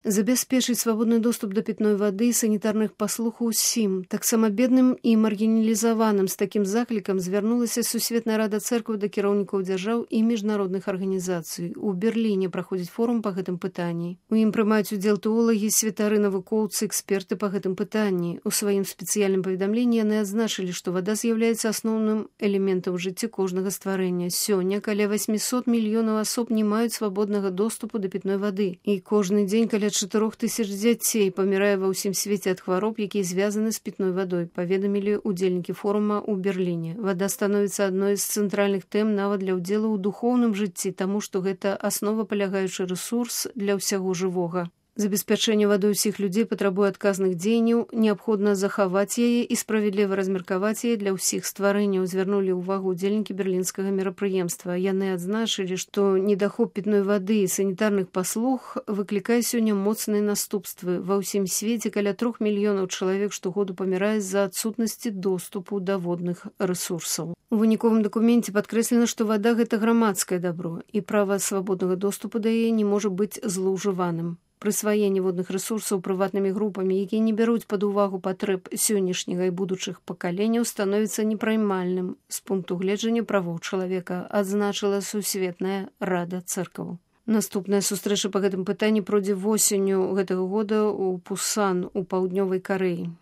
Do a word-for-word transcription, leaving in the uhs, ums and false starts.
Забяспечыць свабодны доступ да пітной вады і санітарных паслуг усім, таксама бедным і маргіналізаваным. З такім заклікам звярнулася Сусветная рада цэркваў да кіраўнікоў дзяржаў і міжнародных арганізацый. У Берліне праходзіць форум па гэтым пытанні. У ім прымаюць удзел тэолагі, святары, навукоўцы, эксперты па гэтым пытанні. У сваім спецыяльным паведамленні яны адзначылі, што вада з'яўляецца асноўным элементам у жыцці кожнага стварэння. Сёння каля восьмісот мільёнаў асоб не маюць свабоднага доступу да пітной вады. І кожны дзень каля чатырох тысяч дзяцей памірае ва ўсім свеце ад хвароб, якія звязаны з пітной вадой, паведамілі ўдзельнікі форума ў Берліне. Вада становіцца адной з цэнтральных тэм нават для ўдзелу ў духоўным жыцці, таму што гэта асновапалягаючы рэсурс для ўсяго жывога. Забеспячэнне вадой усіх людзей патрабуе адказных дзеянняў, неабходна захаваць яе і справядліва размеркаваць яе для ўсіх стварэнняў, звярнулі ўвагу ўдзельнікі берлінскага мерапрыемства. Яны адзначылі, што недахоп пітной вады і санітарных паслуг выклікае сёння моцныя наступствы. Ва ўсім свеце каля трох мільёнаў чалавек штогоду памірае з-за адсутнасці доступу да водных рэсурсаў. У выніковым дакуменце падкрэслена, што вада – гэта грамадскае дабро, і права свабоднага доступу да яе не можа быць злоўжываным. Прысваенне водных рэсурсаў прыватнымі групамі, якія не бяруць пад увагу патрэб сённяшняга і будучых пакаленняў, становіцца непраймальным з пункту гледжання правоў чалавека, адзначыла Сусветная рада цэркваў. Наступная сустрэча па гэтым пытанні пройдзе восенню гэтага года ў Пусан у паўднёвай Карэі.